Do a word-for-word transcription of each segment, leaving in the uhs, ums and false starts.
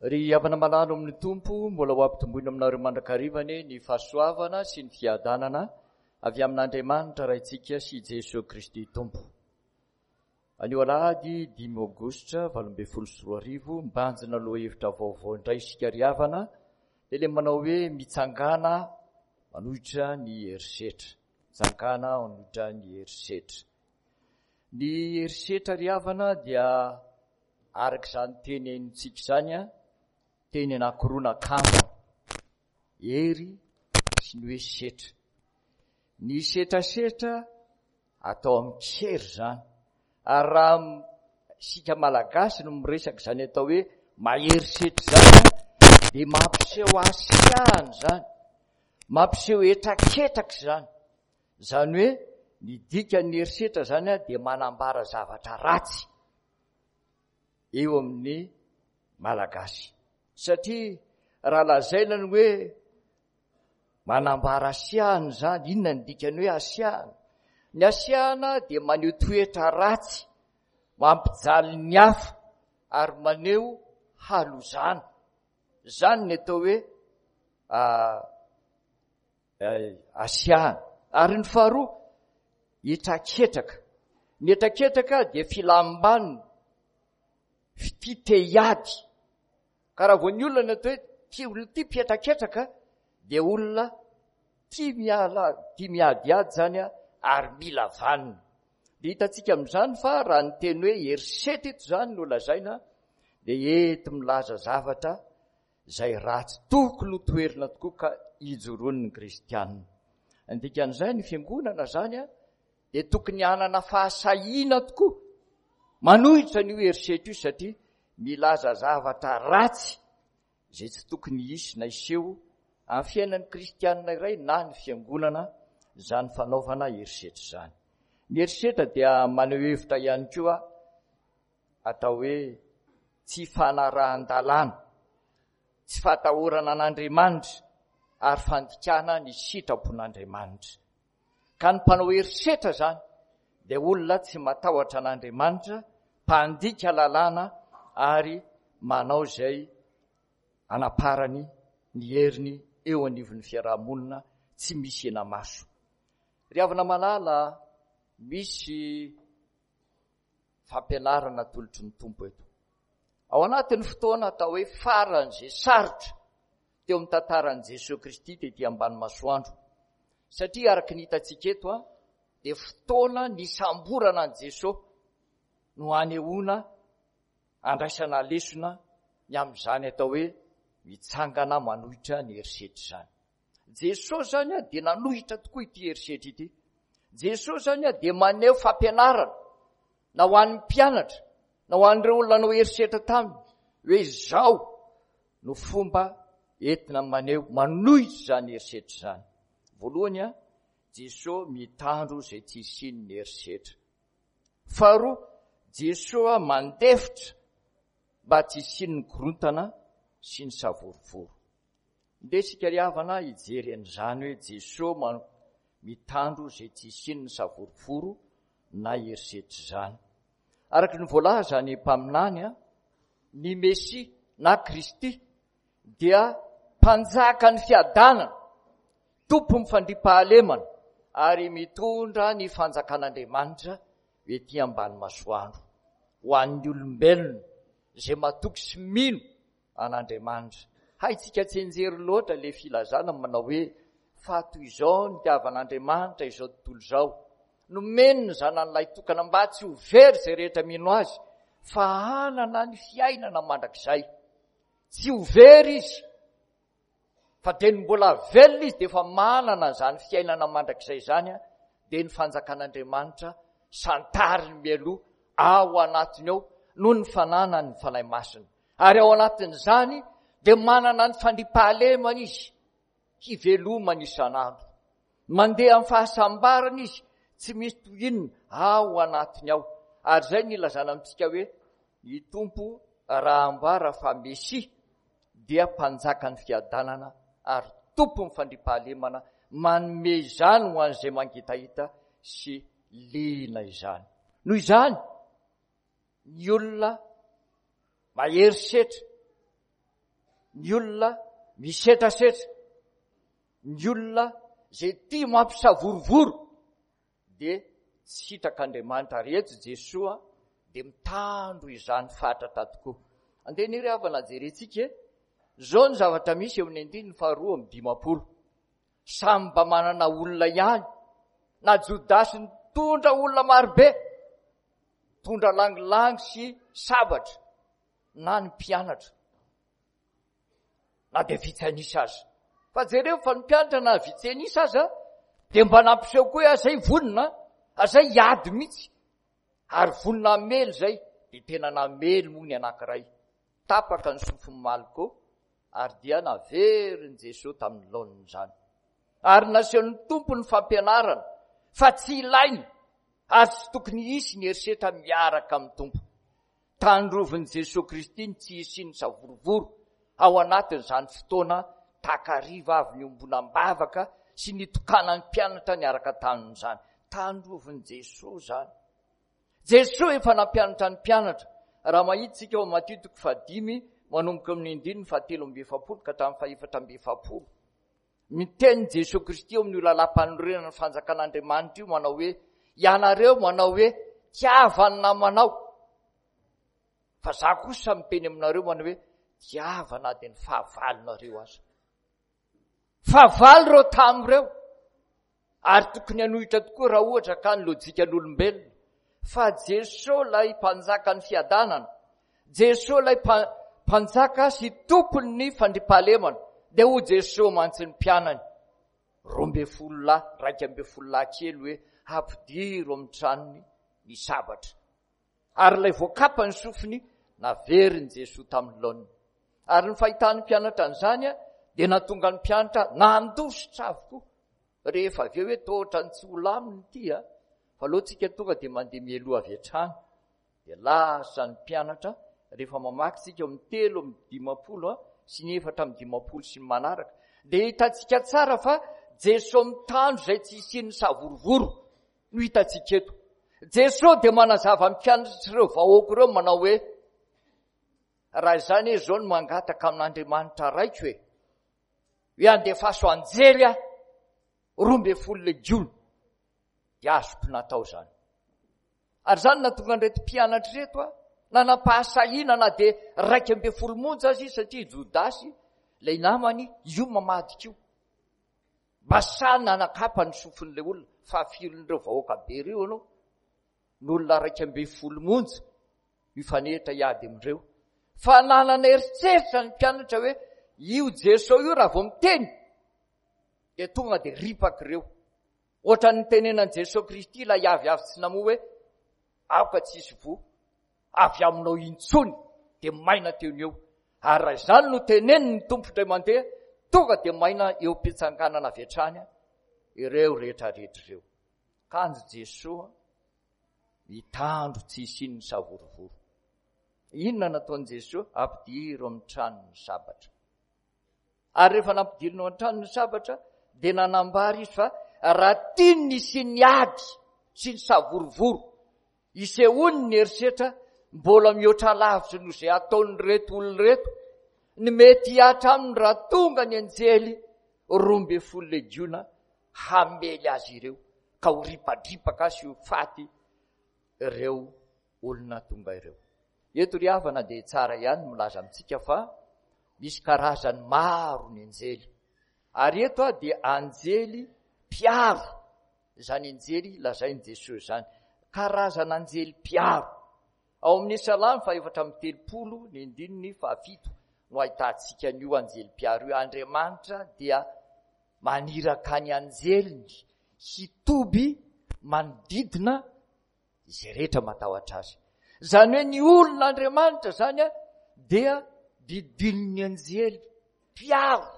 Ry havana malala ao amin'ny Tompo, mbola ho ampitomboina aminareo mandrakariva anie ny fahasoavana sy ny fiadanana avy amin'Andriamanitra Raintsika sy Jesoa Kristy Tompo. Anio alahady dimy aogositra valo ambin'ny folo sy roa arivo, mibanjina lohahevitra vaovao indray isika ry havana, dia ilay manao hoe mitsangàna manohitra ny herisetra. Mitsangàna manohitra ny herisetra. Ny herisetra ry havana dia araka izany teny haintsika izany, teny anankiroa nakambana, hery sy ny hoe setra. Ny setrasetra atao amin-kery izany. Ary raha isika Malagasy no miresaka izany atao hoe mahery setra izany, dia mampiseho hasiahana izany, mampiseho hetraketraka izany. Izany hoe ny dikan'ny herisetra izany dia manambara zavatra ratsy eo amin'ny Malagasy. Satria raha lazaina ny hoe manambara hasiahana izany, inona ny dikan'ny hoe hasiahana? Ny hasiahana dia maneho toetra ratsy, mampijaly ny hafa ary maneho halozana. Izany ny atao hoe hasiahana. Ary ny faharoa, hetraketraka. Ny hetraketraka dia filam-baniny, fitia te hiady. Ka raha vao ny olona ny atao hoe tia olona tia mpihetraketraka dia olona tia miala, tia miadiady izany ary mila vaniny. Dia hitantsika amin'izany fa raha ny teny hoe herisetra eto izany no lazaina dia ety milaza zavatra izay ratsy tokony ho toherina tokoa ka ijoroan'ny kristianina. Ny dikan'izay, ny fiangonana izany dia tokony hanana fahasahiana tokoa manohitra an'io herisetra io satria milaza zavatra ratsy izay tsy tokony hisy na hiseho amin'ny fiainan'ny kristianina iray na ny fiangonana izany fanaovana herisetra izany. Ny herisetra dia maneho hevitra ihany koa atao hoe tsy fanarahan-dalàna, tsy fahatahorana an'Andriamanitra ary fandikana ny sitrapon'Andriamanitra. Ka ny mpanao herisetra izany dia olona tsy matahotra an'Andriamanitra, mpandika lalàna ary manao izay anaparany ny heriny eo anivon'ny fiarahamonina tsy misy hena-maso. Ry havana malala, misy fampianarana atolotry ny Tompo eto. Ao anatin'ny fotoana atao hoe faran'izay sarotra teo amin'ny tantaran'i Jesoa Kristy tety ambany masoandro. Satria araka ny hitantsika eto, dia fotoana nisamborana an'i Jesoa no anehoana andraisana lesona ny amin'izany atao hoe mitsangana manohitra ny herisetra izany. Jesoa izany dia nanohitra tokoa ity herisetra ity. Jesoa izany dia maneho fampianarana na ho an'ny mpianatra na ho an'ireo olona nanao herisetra taminy hoe izao no fomba entina maneho manohitra izany herisetra izany. Voalohany, Jesoa mitandro izay tsy hisian'ny herisetra. Faharoa, Jesoa mandefitra mba tsy hisian'ny korontana sy ny savorovoro. Ndeha isika ry havana hijery an'izany hoe Jesoa mitandro izay tsy hisian'ny savorovoro na herisetra izany. Araka ny voalaza ny mpaminany, ny Mesia na Kristy dia mpanjaka ny fiadanana, tompon'ny fandriampahalemana ary mitondra ny fanjakan'Andriamanitra ety ambany masoandro ho an'ny olombelona izay matoky sy mino an'Andriamanitra. Haintsika tsy enjery loatra ilay filazana manao hoe fa toy izao ny nitiavan'Andriamanitra izao tontolo izao. Nomeny ny zanany lahitokana mba tsy ho very izay rehetra mino azy fa hanana ny fiainana mandrakizay. Tsy ho very izy fa dia ny mbola velona izy dia efa manana izany fiainana mandrakizay izany, dia ny fanjakan'Andriamanitra santariny mialoha ao anatiny ao noho ny fananany ny Fanahy Masina. Ary ao anatin'izany dia manana ny fandriampahalemana izy hivelomany isan'andro. Mandeha amin'ny fahasambarana izy, tsy misy toy inona ao anatiny ao. Ary izay no ilazana amintsika hoe ny Tompo raha ambara fa Mesia dia mpanjakan'ny fiadanana ary tompon'ny fandriampahalemana, manome izany ho an'izay mangetaheta sy liana izany. Noho izany, ny olona mahery setra Ny olona misetrasetra, ny olona izay tia mampisavorovoro dia tsy sitrak'Andriamanitra. Ary eto Jesoa dia mitandro izany fatratra tokoa. Andeha anie ry havana jerentsika e. Izao ny zavatra misy eo amin'ny andininy faharoa amby dimampolo. Samy mba manana olona ihany. Na Jodasy nitondra olona marobe, nitondra langilangy sy sabatra, na ny mpianatra, na dia vitsy an'isa aza. Fa jereo fa ny mpianatra na vitsy an'isa aza dia mba nampiseho koa hoe azay vonona, azay hiady mihitsy, ary vonona hamely izay. Dia tena namely moa ny anankiray. Tapaka ny sofin'i Malko, ary dia naverin'i Jesoa tamin'ny laoniny izany. Ary nasehon'ny Tompo ny fampianarana fa tsy ilaina ary tsy tokony hisy ny herisetra miaraka amin'ny Tompo. Tandrovin'i Jesoa Kristy ny tsy hisian'ny savorovoro ao anatin'izany fotoana takariva avy niombonam-bavaka sy nitokanan'ny mpianatra niaraka taminy izany. Tandrovin'i Jesoa izany. Jesoa efa nampianatra ny mpianatra. Raha mahita isika ao Matio toko fahadimy manomboka amin'ny andininy fahatelo amby efapolo ka hatramin'ny fahefatra amby efapolo. Miteny Jesoa Kristy eo amin'io lalàm-panorenana ny fanjakan'Andriamanitra io manao hoe, ianareo manao hoe tiava ny namanao, fa za kosa miteny aminareo manao hoe tiava na dia ny fahavalonareo aza. Fahavalo ireo tamin'ireo, ary tokony hanohitra tokoa raha ohatra ka ny lojikan'olombelona. Fa Jesoa ilay mpanjakan'ny fiadanana, Jesoa ilay mpanjaka sy tompon'ny fandriampahalemana, dia hoy Jesoa mantsy ny mpianany roa ambin'ny folo lahy, iraika ambin'ny folo lahy kely hoe ampidiro amin'ny tranony ny sabatra. Ary ilay voakapa ny sofiny naverin'i Jesoa tamin'ny laoniny. Ary ny fahitan'ny mpianatra an'izany dia nahatonga ny mpianatra nandositra avokoa. Rehefa avy eo hoe toa ohatran'ny tsy ho lamina ity a, fa aleo tsika tonga dia mandeha mialoha avy hatrany. Dia lasa ny mpianatra, rehefa mamaky tsika eo amin'ny telo amby dimampolo sy ny efatra amby dimampolo sy ny manaraka, dia hitantsika tsara fa Jesoa mitandro izay tsy hisian'ny savorovoro no hitantsika eto. Jesoa dia manazava ny mpianatra ireo vahoaka ireo manao hoe, raha izany izy izao no mangataka amin'Andriamanitra raiko e, hoe andefaso anjely aho roa ambin'ny folo legiona, dia azoko natao izany. Ary izany nahatonga an'ireto mpianatra ireto a, nanam-pahasahiana na dia iraika ambin'ny folo monja aza izy, satria Jodasy ilay namany io mamadika io. Mba sahy nanakapa ny sofin'ilay olona, fa firin'ireo vahoaka be ireo ianao, ny olona iraika ambin'ny folo monja mifanehitra hiady amin'ireo. Fa nanana eritreritra ny mpianatra hoe io Jesoa io raha vao miteny dia tonga dia ripaka ireo. Ohatran'ny nitenenan'i Jesoa Kristy ilay avy avy tsy namoa hoe aoka tsy hisy voa avy aminao intsony, dia maina teo ny eo. Ary raha izany no tenenin'ny Tompo indray mandeha, tonga dia maina eo am-pitsanganana avy hatrany ireo rehetra rehetra ireo. Kanjo Jesoa mitandro tsy hisian'ny savorovoro. Inona nataon'i Jesoa? Ampidiro amin'ny tranony ny sabatra. Ary rehefa nampidirina ao an-trano ny sabatra, dia nanambara izy fa raha tiany ny hisian'ny ady sy ny savorovoro, hisehoany ny herisetra, mbola mihoatra lavitra noho izay ataon'ireto olona ireto, ny mety hihatra aminy raha tonga ny anjely roa ambin'ny folo legiona hamely azy ireo, ka ho ripadripaka sy ho faty ireo olona tonga ireo. Eto ry havana dia tsara ihany ny milaza amintsika fa misy karazany maro ny anjely. Ary eto aho dia anjely mpiaro, izany anjely lazain'i Jesoa izany. Karazana anjely mpiaro. Ao amin'ny Salamo fahaefatra amby telopolo ny andininy fahafito no ahitantsika an'io anjely mpiaro io. Andriamanitra dia maniraka ny anjeliny hitoby manodidina izay rehetra matahotra azy. Izany hoe ny olon'Andriamanitra izany dia didinin'ny anjely mpiaro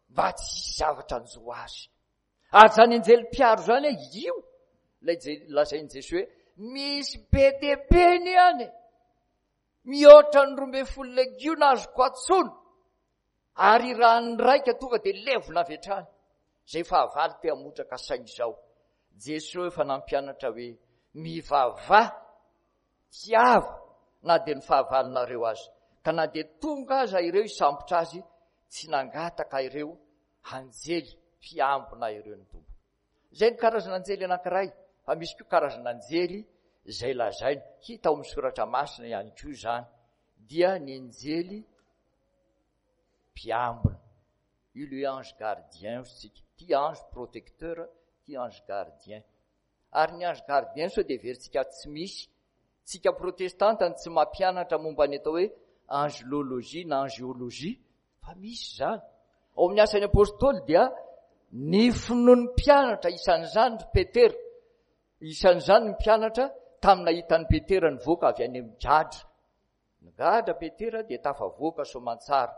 mba tsy hisy zavatra hanjo azy. Ary izany anjely mpiaro izany, io ilay lazain'i Jesoa hoe misy be dia be ny any, mihoatra ny roa ambin'ny folo legiona azoko antsoina, ary raha ny raika tonga dia levona avy hatrany. Izay fahavalo te hamotraka saina izao. Jesoa efa nampianatra hoe mivavaha, tiava, na dia ny fahavalonareo aza. Ka na dia tonga aza ireo hisambotra azy, tsy nangataka ireo anjely mpiambina ireo ny Tompo. Izay ny karazana anjely anankiray, fa misy koa karazana anjely izay lazaina, hita ao amin'ny soratra masina ihany koa izany, dia ny anjely mpiambina. Io le ange gardien hoy isika, ty ange protecteur, ty ange gardien. Ary ny ange gardien sao dia heverintsika tsy misy. Tsika protestanta no tsy mampianatra momba ny atao hoe angelologie na angeologie, fa misy izany. Ao amin'ny asan'ny apôstôly dia ny finoan'ny mpianatra, isan'izany ry Petera, isan'izany ny mpianatra tamin'ny nahitan'i Petera nivoaka avy any amin'ny gadra. Nigadra Petera dia tafavoaka soamantsara,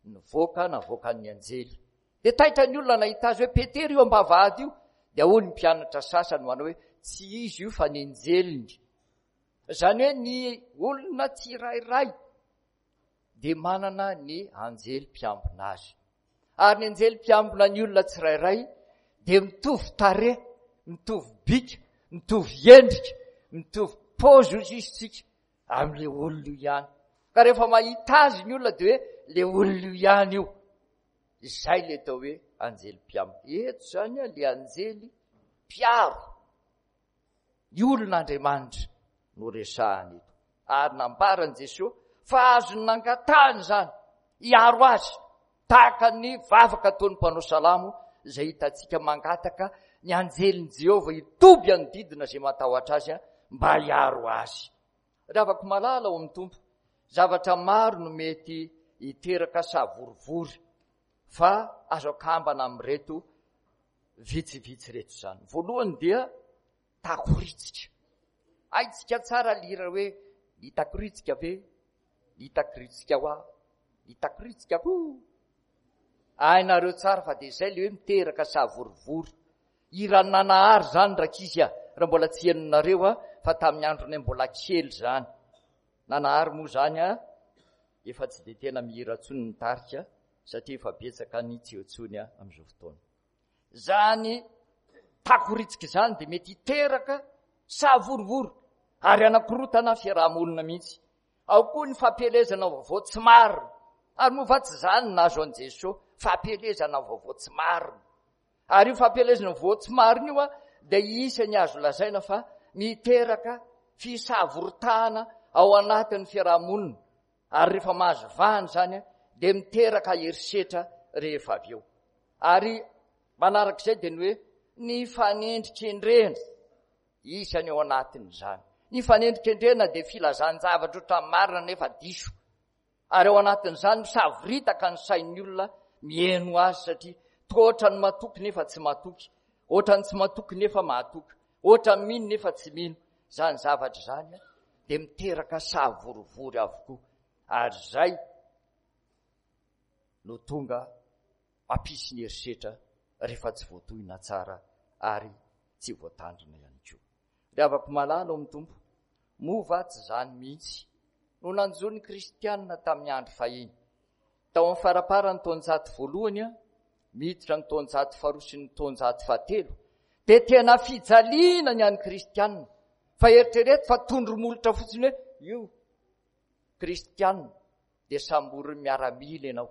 nivoaka navoakan'ny anjely. Dia taitra ny olona nahita azy hoe Petera io am-bavahady io. Dia hoy ny mpianatra sasany manao hoe tsy izy io fa ny anjeliny. Izany hoe ny olona tsirairay dia manana ny anjely mpiambina azy. Ary ny anjely mpiambina ny olona tsirairay dia mitovy tarehy, mitovy bika, mitovy endrika, mitovy paozy hoy izy tsika amin'ilay olona io ihany. Ka rehefa mahita azy ny olona dia hoe ilay olona io ihany io. Izay ilay atao hoe anjely mpiambina. Eto izany ilay anjely mpiaro ny olon'Andriamanitra no resahana eto. Ary nambaran'i Jesoa fa azony nangatahana izany hiaro azy, tahaka ny vavaka ataon'ny mpanao salamo izay hitantsika mangataka ny anjelin'i Jehovah hitoby hanodidina izay matahotra azy mba hiaro azy. Ry havako malala ao amin'ny Tompo, zavatra maro no mety hiteraka savorivory, fa azo akambana amin'ireto vitsivitsy ireto izany. Voalohany dia takoritsika. Haintsika tsara lira hoe ny takoritsika ve, ny takoritsika hoa, ny takoritsika koa. Hainareo tsara fa dia izay le hoe miteraka savorivory. Hiran'ny Nanahary izany rankizy a, raha mbola tsy henonareo a, fa tamin'ny andronay mbola kely izany. Nanahary moa izany a, efa tsy dia tena mihira intsony ny tarika, satria efa betsaka ny tsy eo intsony a amin'izao fotoana. Izany takoritsika izany dia mety hiteraka savorivory ary hanakorotana fiarahamonina mihitsy. Ao koa ny fampielezana vaovao tsy marina. Ary moa va tsy izany no nahazo an'i Jesoa? Fampielezana vaovao tsy marina. Ary io fampielezana vaovao tsy marina io a, dia isan'ny azo lazaina fa miteraka fisavoritahana ao anatin'ny fiarahamonina. Ary rehefa mahazo vahana izany a, dia miteraka herisetra rehefa avy eo. Ary manarak'izay dia ny hoe ny fanendrikendrehana isany ao anatin'izany. Ny fanendrikendrehana dia filazan-javatra ohatran'ny marina nefa diso. Ary ao anatin'izany misavoritaka ny sain'ny olona mihaino azy satria toa ohatran'ny matoky nefa tsy matoky, ohatran'ny tsy matoky nefa mahatoky, ohatran'ny mino nefa tsy mino. Izany zavatra izany dia miteraka savorivory avokoa. Ary izay no tonga mampisy ny herisetra rehefa tsy voatohina tsara ary tsy voatandrina ihany koa. Ry havako malala ao amin'ny Tompo, moa va tsy izany mihitsy no nanjo ny kristianina tamin'ny andro fahiny? Tao amin'ny faramparan'ny taonjato voalohany, miditra ny taonjato faharoa sy ny taonjato fahatelo, dia tena fijaliana ny an'ny kristianina. Fa eritrereto fa tondro molotra fotsiny hoe io kristianina dia samborin'ny miaramila ianao.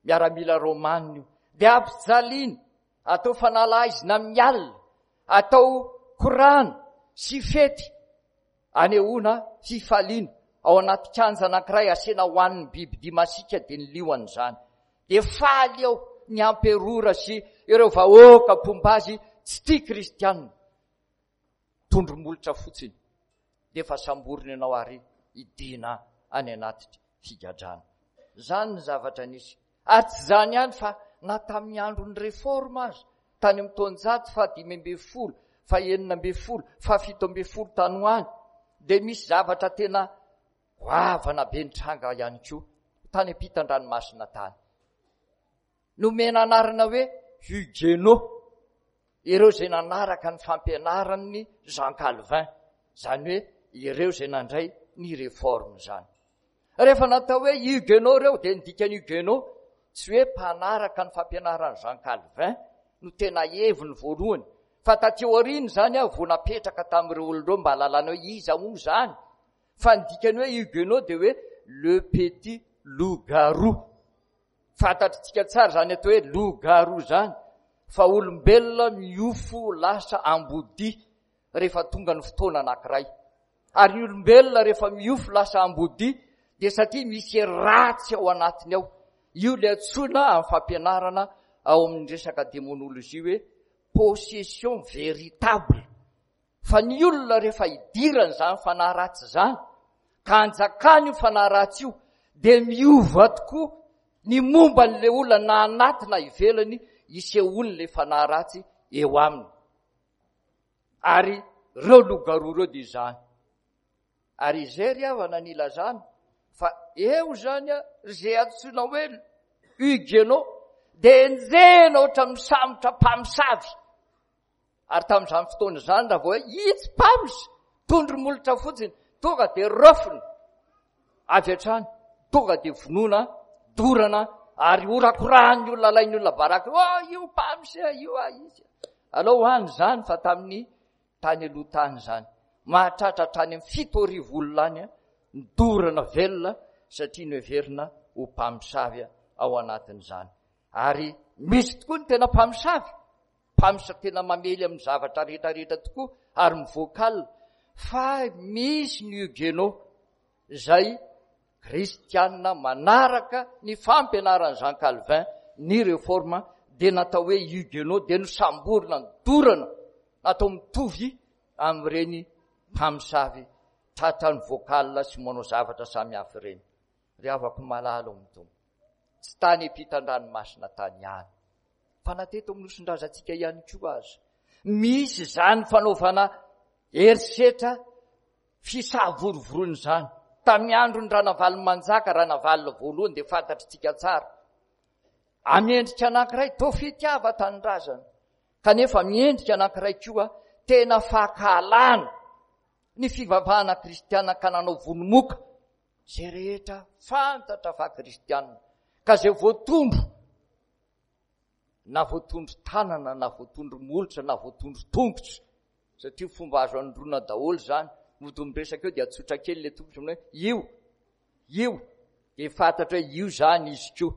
Miaramila romanina io. Dia ampijaliana, atao fanalaizina amin'ny alina, atao korana sy fety anehoana fifaliana ao anaty kianja anankiray asiana ho an'ny bibidia masiaka dia ny liona izany. Dia faly eo ny amperora sy ireo vahoaka mpomba azy tsy tia kristianina. Tondro molotra fotsiny dia efa samborina ianao ary idina any anaty figadrana. Izany ny zavatra nisy. Ary tsy izany ihany fa na tamin'ny andron'ny réforme aza, tany amin'ny taonjato fahadimy ambin'ny folo, fahenina ambin'ny folo, fahafito ambin'ny folo tany ho any, dia misy zavatra tena goavana be nitranga ihany koa tany ampitan-dranomasina tany. Nomena anarana hoe Huguenot ireo izay nanaraka ny fampianaran'ny Jean Calvin, izany hoe ireo izay nandray ny réforme izany. Rehefa natao hoe Huguenot ireo, dia ny dikan'ny Huguenot tsy hoe mpanaraka ny fampianaran'i Jean Calvin no tena heviny voalohany, fa taty aoriana izany aho vao napetraka tamin'ireo olona ireo mba hahalalana hoe iza moa izany. Fa ny dikany hoe huguenot dia hoe le petit loup-garou. Fantatritsika tsara izany atao hoe loup-garou izany, fa olombelona miofo lasa ambodia rehefa tonga ny fotoana anankiray. Ary ny olombelona rehefa miofo lasa ambodia dia satria misy ratsy ao anatiny ao. Io ilay antsoina amin'ny fampianarana ao amin'ny resaka démonologie hoe possession véritable. Fa ny olona rehefa idirany izany fanahy ratsy izany, ka anjakany io fanahy ratsy io, dia miova tokoa ny momba an'ilay olona na anaty na ivelany isehoan'ilay fanahy ratsy eo aminy. Ary ireo loup-garou ireo dia izany. Ary izay ry havana ny ilazana fa eo izany izay antsoina hoe huguenot dia enjehina ohatran'ny misambotra mpamosavy. Ary tamin'izany fotoana izany raha vao hoe itsy mpamosy, tondro molotra fotsiny, tonga dia raofina avy hatrany, tonga dia vonoina, dorana, ary horakorahan'ny olona, alain'ny olona baraka, oh, io mpamosy, io ah, izy. Alao ho any izany fa tamin'ny tany aloha tany izany. Mahatratra hatrany amin'ny fito arivo olona any, nidorana velona satria noheverina ho mpamosavy ao anatin'izany. Ary misy tokoa ny tena mpamosavy, mpamosavy tena mamely amin'ny zavatra rehetrarehetra tokoa ary mivoaka alina. Fa misy ny huguenot izay kristianina manaraka ny fampianaran'i Jean Calvin ny réforme dia natao hoe huguenot, dia nosamborina, nidorana, natao mitovy amin'ireny mpamosavy tratran'ny vocal sy manao zavatra samihafa ireny. Ry havako malala ao amin'ny Tompo, tsy tany ampitan-dranomasina tany ihany, fa na teto amin'ny nosindrazantsika ihany koa aza misy izany fanaovana herisetra fisavorovoroana izany. Tamin'ny andron'ny Ranavalomanjaka, Ranavalona voalohany dia fantatritsika tsara. Amin'ny endrika anankiray toa fitiava tanindrazana, kanefa amin'ny endrika anankiray koa tena fankahalana ny fivavahana kristiana ka nanao vonomoka izay rehetra fantatra fa kristiana, ka izay voatondro na voatondro tanana na voatondro molotra na voatondro tongotra, satria fomba azo anondroana daholo izany. Mody miresaka eo dia atsotra kely ilay tongotra hoe io, io, dia fantatra hoe io izany izy koa,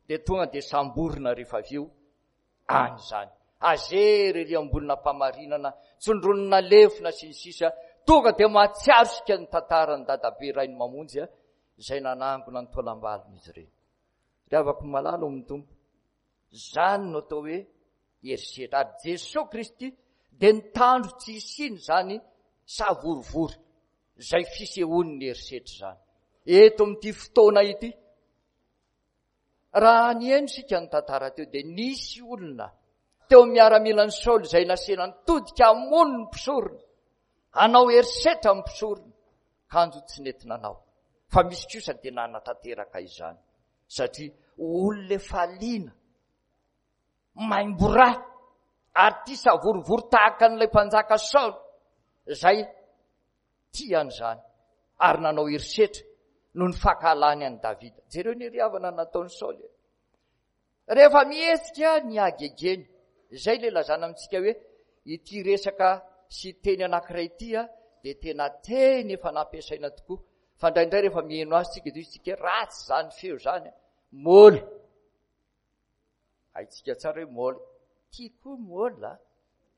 dia tonga dia samborina rehefa avy eo any izany. Azery ery ambonina mpamarinana, tsondronina lefona sy ny sisa, tonga dia mahatsiaro isika ny tantaran'ny dadabe Rainy Mamonjy izay nanangona ny taolam-balony izy ireny. Ry havako malala ao amin'ny Tompo, izany no atao hoe herisetra. Ary Jesoa Kristy dia nitandro tsy hisiany izany savorovoro izay fisehoan'ny herisetra izany. Eto amin'ity fotoana ity, raha nihaino isika ny tantara teo dia nisy olona teo amin'ny miaramilan'i Saoly izay nasena nitodika hamono ny mpisorona, hanao herisetra amin'ny mpisorona, kanjo tsy nety nanao. Fa misy kosa dia nanatanteraka izany, satria olona efa liana, maimbo-ra, ary tia savorovoro tahaka an'ilay mpanjaka Saoly izay tia an'izany, ary nanao herisetra noho ny fankahalany an'i Davida. Jereo ny heriavana nataon'i Saoly. Rehefa mihetsika ny hagegeny, izay ilay lazana amintsika hoe ity resaka sy teny anankiray ity dia tena teny efa nampiasaina tokoa. Fa indraindray rehefa miheno azy tsika dia isika ratsy izany feo izany. Môla. Haintsika tsara hoe môla. Tia koa môla.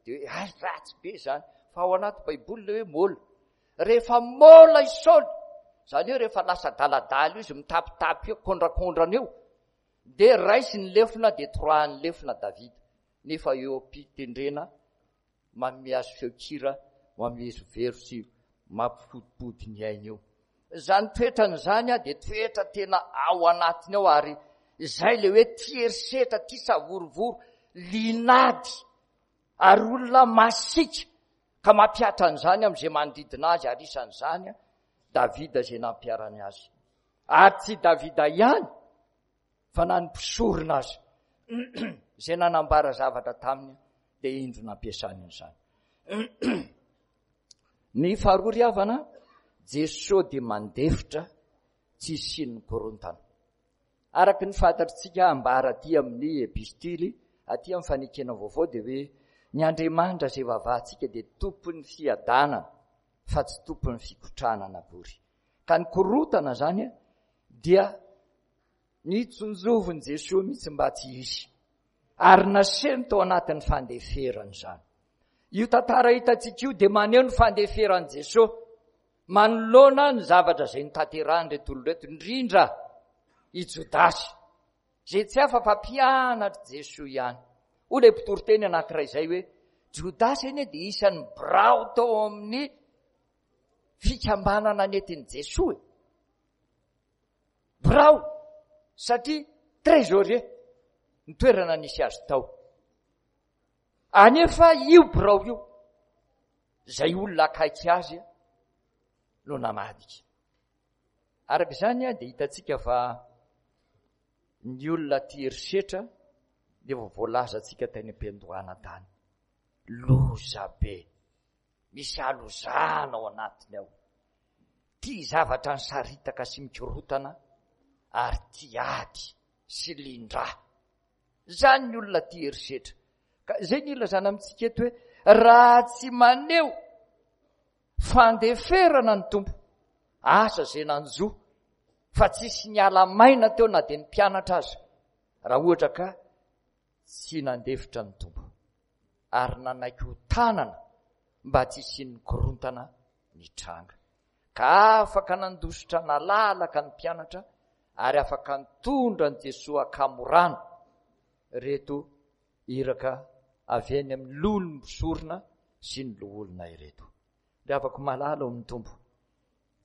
Dia hoe ay ratsy be izany. Fa ao anaty Baiboly ilay hoe môla. Rehefa môla i Saoly, izany hoe rehefa lasa daladala io izy mitapitapy eo, kondrakondran'eo, dia raisiny lefona dia toroahany lefona Davida. Nefa eo am-pitendrena manome azy feon-kira mamerovero sy mampifodipody ny ainy eo. Izany toetrany izany dia toetra tena ao anatiny ao, ary izay ilay hoe tia herisetra, tia savorovoro, linady, ary olona masiaka ka mampihatra an'izany amin'izay manodidina azy, ary isan'izany Davida izay nampiharany azy. Ary tsy Davida ihany fa na ny mpisorona azy izay nanambara zavatra taminy dia indro nampiasany an'izany. Ny faharoa ry havana, Jesoa dia mandefitra tsy hisian'ny korontana. Araka ny fantatritsika ambara aty amin'ny epistily, aty amin'ny fanekena vaovao dia hoe ny Andriamanitra izay vavahantsika dia tompon'ny fiadanana fa tsy tompon'ny fikotranana akory. Ka ny korontana izany dia nitsonjovin'i Jesoa mihitsy mba tsy hisy. Ary nasehony tao anatin'ny fandeferana izany. Io tantara hitantsika io dia maneho ny fandeferan'i Jesoa manoloana ny zavatra izay notanterahan'ireto olona ireto, indrindra i Jodasy, izay tsy hafa fa mpianatr'i Jesoa ihany. Hoy ilay mpitoriteny anankiray izay hoe, Jodasy anie dia isan'ny birao tao amin'ny fikambanana nentin'i Jesoa e. Birao, satria trésorier ny toerana nisy azy tao. Anefa io birao io, izay olona akaiky azy no namadika. Araka izany dia hitantsika fa ny olona tia herisetra dia efa voalazantsika tany am-piandohana tany. Loza be, misy halozana ao anatiny ao. Tia zavatra nisaritaka sy mikorotana ary tia ady sy lindra. Izany ny olona tia herisetra. Ka izay ny ilazana amintsika eto hoe raha tsy maneho fandeferana ny Tompo, asa izay nanjo, fa tsisy niala maina teo na dia ny mpianatra aza, raha ohatra ka tsy nandefitra ny Tompo ary nanaiky ho tanana mba tsy hisian'ny korontana nitranga. Ka afaka nandositra nalalaka ny mpianatra ary afaka nitondra an'i Jesoa ankamorana ireto iraka avy eny amin'ny loholon'ny mpisorona sy ny loholona ireto. Ry havako malala ao amin'ny Tompo,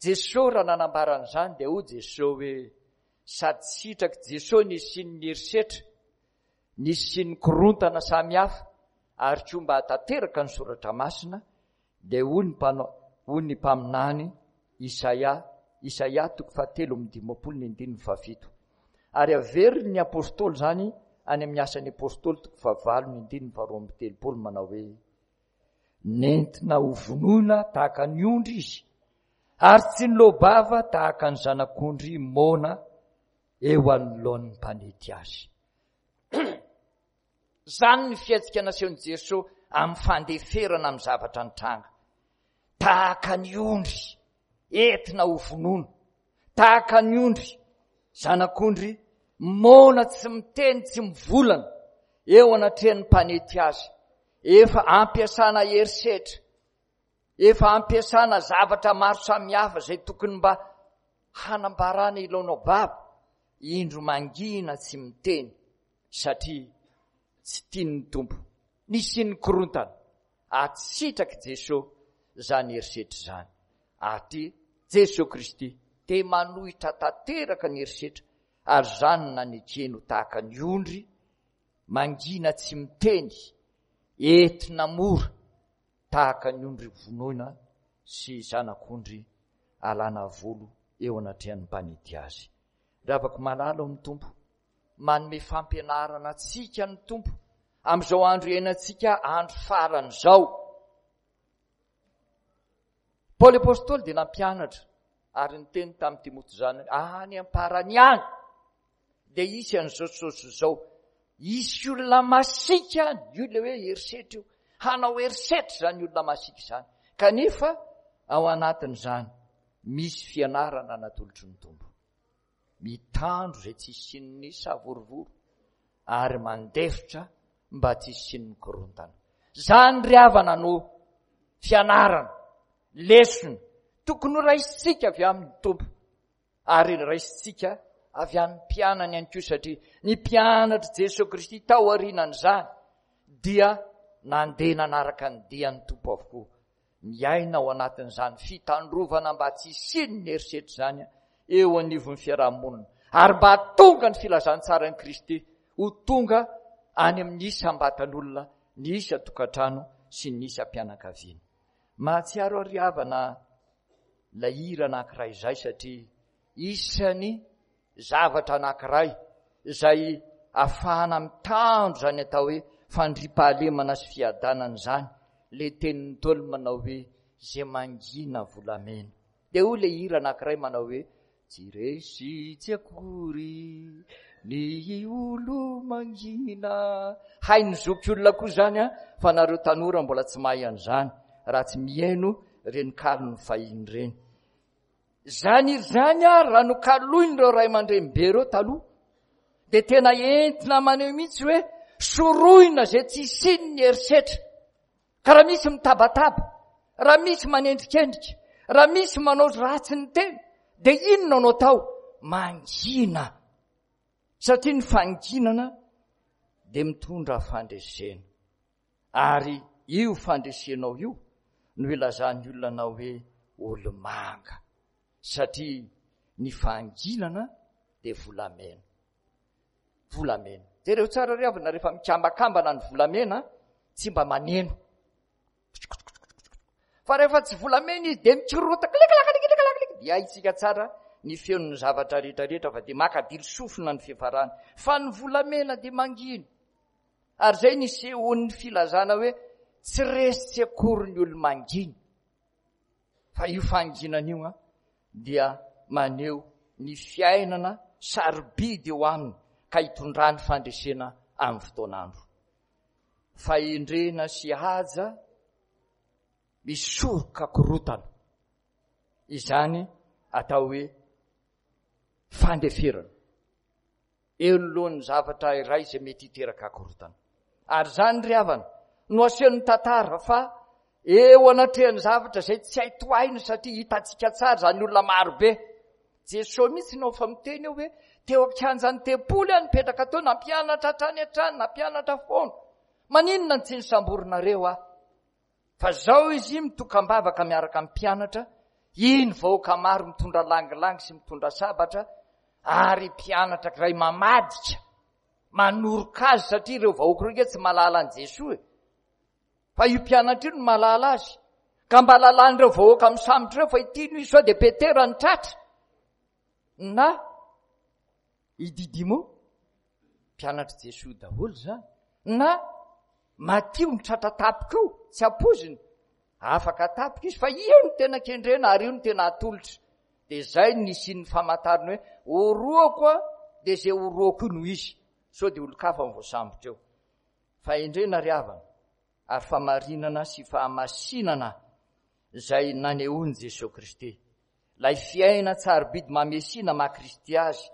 Jesoa raha nanambara an'izany dia hoy Jesoa hoe sady sitrak'i Jesoa ny hisian'ny herisetra, ny hisian'ny korontana samihafa ary koa mba hahatanteraka ny soratra masina, dia hoy ny mpanao, hoy ny mpaminany Isaia, Isaia toko fahatelo amby dimampolo ny andininy fahafito. Ary averin'ny apostoly izany any amin'ny asan'ny apostoly toko fahavalo ny andininy faharoa amby telopolo manao hoe nentina ho vonoina tahaka ny ondry izy ary tsy niloa-bava tahaka ny zanak'ondry moana eo anoloan'ny mpanety azy. Izany ny fihetsika nasehon'i Jesoa amin'ny fandeferana amin'ny zavatra nitranga. Tahaka ny ondry entina ho vonoina, tahaka ny ondry, zanak'ondry moana tsy miteny, tsy mivolana eo anatrehan'ny mpanety azy. Efa ampiasana herisetra, efa ampiasana zavatra maro samihafa izay tokony mba hanambarana ilaonao baba, indro mangina tsy miteny satria tsy tian'ny Tompo. Nisian'ny korontana, ary tsy sitrak'i Jesoa izany herisetra izany. Ary Jesoa Kristy dia manohitra tanteraka ny herisetra, ary izany no nanekeny ho tahaka ny ondry mangina tsy miteny, entina mora tahaka ny ondry vonoina sy zanak'ondry alana volo eo anatrehan'ny mpanety azy. Ry havako malala ao amin'ny Tompo, manome fampianarana antsika ny Tompo amin'izao andro iainantsika andro farany izao. Paoly Apostoly dia nampianatra ary niteny tamin'i Timoty zanany, any am-parany any dia hisy an'izao sy izao sy izao. Hisy olona masiaka any, io ilay hoe herisetra io. Hanao herisetra izany olona masiaka izany. Kanefa ao anatin'izany misy fianarana natolotry ny Tompo. Mitandro izay tsy hisian'ny savorovoro ary mandefitra mba tsy hisian'ny korontana. Izany ry havana no fianarana, lesona tokony ho raisintsika avy amin'ny Tompo ary raisintsika avy amin'ny mpianany ihany koa, satria ny mpianatr'i Jesoa Kristy tao aorianan'izany dia nandeha nanaraka ny dian'ny Tompo avokoa. Miaina ao anatin'izany fitandrovana mba tsy hisian'ny herisetra izany eo anivon'ny fiarahamonina ary mba hahatonga ny filazantsaran'i Kristy ho tonga any amin'ny isam-batan'olona, ny isan-tokantrano sy ny isam-pianakaviana. Mahatsiaro aho ry havana ilay hira anankiray izay, satria isan'ny zavatra anankiray izay ahafahana mitandro izany atao hoe fandriampahalemana sy fiadanana izany, ilay tenin'ny Ntaolo manao hoe izay mangina volamena. Dia hoy ilay hira anankiray manao hoe tsy resy tsy akory ny olo mangina. Hain'ny zokiolona koa izany an, fa nareo tanora mbola tsy mahay an'izany raha tsy mihaino ireny kalon'ny fahiny ireny. Izany hira izany ary raha nokaloin'ireo ray aman-dreny be ireo taloha, dia tena entina maneho mihitsy hoe sorohina izay tsy hisian'ny herisetra. Ka raha misy mitabataba, raha misy manendrikendrika, raha misy manao ratsy ny tena, dia inona no atao? Mangina. Satria ny fanginana dia mitondra fandresena. Ary io fandresenao io no ilazan'ny olona anao hoe olo-manga. Satria ny fahanginana dia volamena. Volamena. Jereo tsara ry havana, rehefa mikambakambana ny volamena, tsy mba maneno. Fa rehefa tsy volamena izy dia mikorota klikilaklikilaklik, dia haintsika tsara ny feon'ny zavatra rehetrarehetra fa dia makadilo sofina ny fiafarany. Fa ny volamena dia mangina. Ary izay nisehoan'ny filazana hoe tsy resy tsy akory ny olo-mangina. Fa io fahanginana io dia maneho ny fiainana sarobidy eo aminy ka hitondrany fandresena amin'ny fotoan'andro. Fahendrena sy haja misoroka korotana. Izany atao hoe fandeferana eo anoloan'ny zavatra iray izay mety hiteraka korotana. Ary izany ry havana no asehon'ny tantara fa eo anatrehan'ny zavatra izay tsy hay tohaina satria hitantsika tsara izany olona marobe. Jesosy mihitsy no efa miteny eo hoe teo an-kianjan'ny tempoly aho nipetraka teo, nampianatra hatrany hatrany, nampianatra foana. Maninona no tsy nisamborinareo aho? Fa zao izy mitokam-bavaka miaraka amin'ny mpianatra, iny vahoaka maro mitondra langilangy sy mitondra sabatra, ary mpianatra iray mamadika, manoroka azy satria ireo vahoaka ireo nge tsy mahalala an'i Jesoa e. Fa io mpianatra io no mahalala azy. Ka mba lalan'ireo vahoaka misambotra ireo fa ity no izy sao dia Petera ny tratra. Na i Didimo, mpianatr'i Jesoa daholo izany. Na Matio ny tratra tapika io, tsy ampoiziny. Afaka tapika izy fa io no tena kendrena ary io no tena atolotra. Dia izay no nisian'ny famantarana hoe orohako a, dia izay orohako io no izy. Sao dia olon-kafa no voasambotra eo. Fahendrena ry havana ary famarinana sy fahamasinana izay nanehoan'i Jesoa Kristy. Ilay fiainan-tsarobidy maha Mesia na maha Kristy azy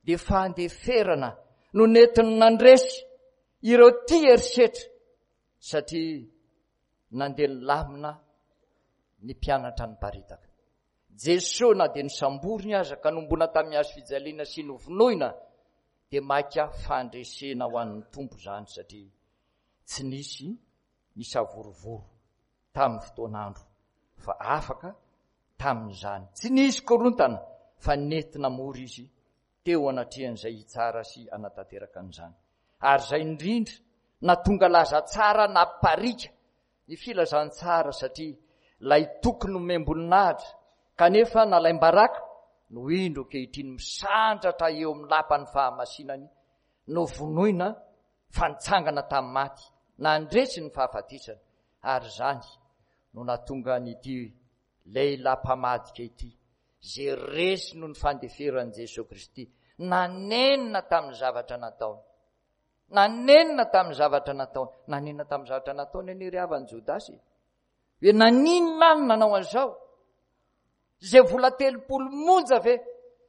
dia fandeferana no nentiny nandresy ireo tia herisetra satria nandeha nilamina ny mpianatra niparitaka. Jesoa na dia nosamboriny aza ka nombona tamin'ny hazo fijaliana sy novonoina dia maika fandresena ho an'ny Tompo izany satria tsy nisy nisavorovoro tamin'ny fotoan'andro fa afaka tamin'izany. Tsy nisy korontana fa nentina mora izy teo anatrehan'izay hitsara sy hanatanteraka an'izany. Ary izay indrindra na tonga laza tsara na parika ny filazantsara satria ilay tokony nomem-boninahitra kanefa nalaim-baraka no indro ankehitriny misandratra eo amin'ny lapan'ny fahamasinany, novonoina fa nitsangana tamin'ny maty, nandresy ny fahafatesana. Ary izany no nahatonga an'ity lehilahy mpamadika ity, izay resy noho ny fandeferan'i Jesoa Kristy, nanenina tamin'ny zavatra nataony. Nanenina tamin'ny zavatra nataony. Nanenina tamin'ny zavatra nataony anie ry havana Jodasy. Hoe naninona aho no nanao an'izao? Izay vola telopolo monja ve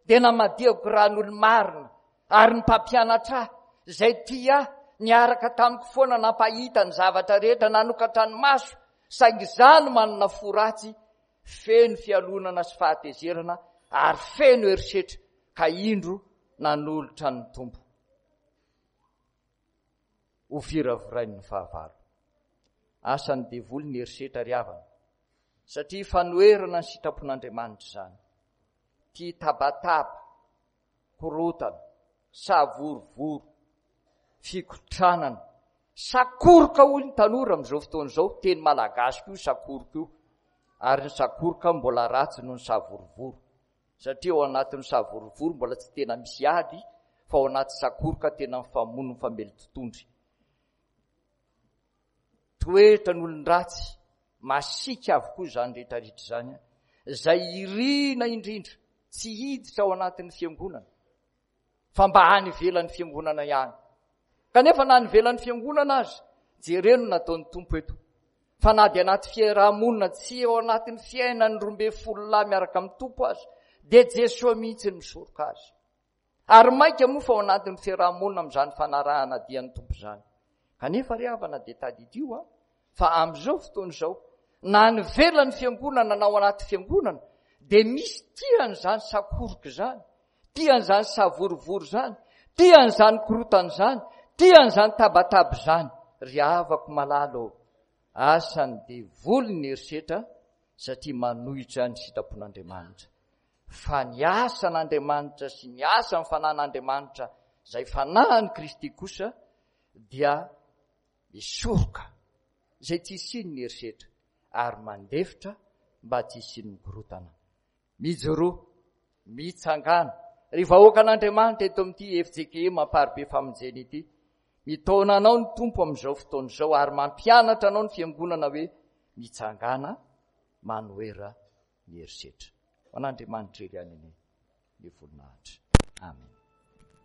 dia namadihako ran'olo-marina ary ny mpampianatra ahy izay tia ahy niaraka tamiko foana nampahita ny zavatra rehetra nanokatra ny maso, saingy izaho no manana fo ratsy feno fialonana sy fahatezerana ary feno herisetra ka indro nanolotra ny Tompo ho viravirain'ny fahavalo. Asan'ny devoly ny herisetra ry havana, satria fanoherana ny sitrapon'Andriamanitra izany. Tia tabataba, korotana, savorovoro, fikotranana, sakoroka hoy ny tanora amin'izao fotoana izao, teny malagasy koa io sakoroka io, ary ny sakoroka mbola ratsy noho ny savorovoro, satria ao anatin'ny savorovoro mbola tsy tena misy ady, fa ao anaty sakoroka tena mifamono mifamely tontondry. Toetran'olon-dratsy masiaka avokoa izany rehetrarehetra izany, izay irina indrindra tsy hiditra ao anatin'ny fiangonana, fa mba any ivelan'ny fiangonana ihany. Kanefa na any ivelan'ny fiangonana aza, jereo ny nataon'ny Tompo eto, fa na dia anaty fiarahamonina tsy ao anatin'ny fiainan'ny roa ambin'ny folo lahy miaraka amin'ny Tompo aza, dia Jesoa mihitsy no misoroka azy. Ary mainka moa fa ao anatin'ny fiarahamonina amin'izany fanarahana dian'ny Tompo izany. Kanefa ry havana dia tadidio an, fa amin'izao fotoana izao, na any ivelan'ny fiangonana na ao anaty fiangonana, dia misy tia an'izany sakoroka izany, tia an'izany savorovoro izany, tia an'izany korotana izany, tia an'izany tabataba izany. Ry havako malala ô, asan'ny devoly ny herisetra satria manohitra ny sitrapon'Andriamanitra. Fa ny asan'Andriamanitra sy ny asan'ny fanan'Andriamanitra izay fanahin'i Kristy kosa dia misoroka izay tsy hisian'ny herisetra ary mandefitra mba tsy hisian'ny korotana. Mijoroa, mitsangàna, ry vahoakan'Andriamanitra eto amin'ity F J K M Amparibe Famonjena ity. Mitaona anao ny Tompo amin'izao fotoana izao ary mampianatra anao ny fiangonana hoe mitsangàna, manohera ny herisetra. Ho an'Andriamanitra irery ihany anie ny voninahitra. Amen.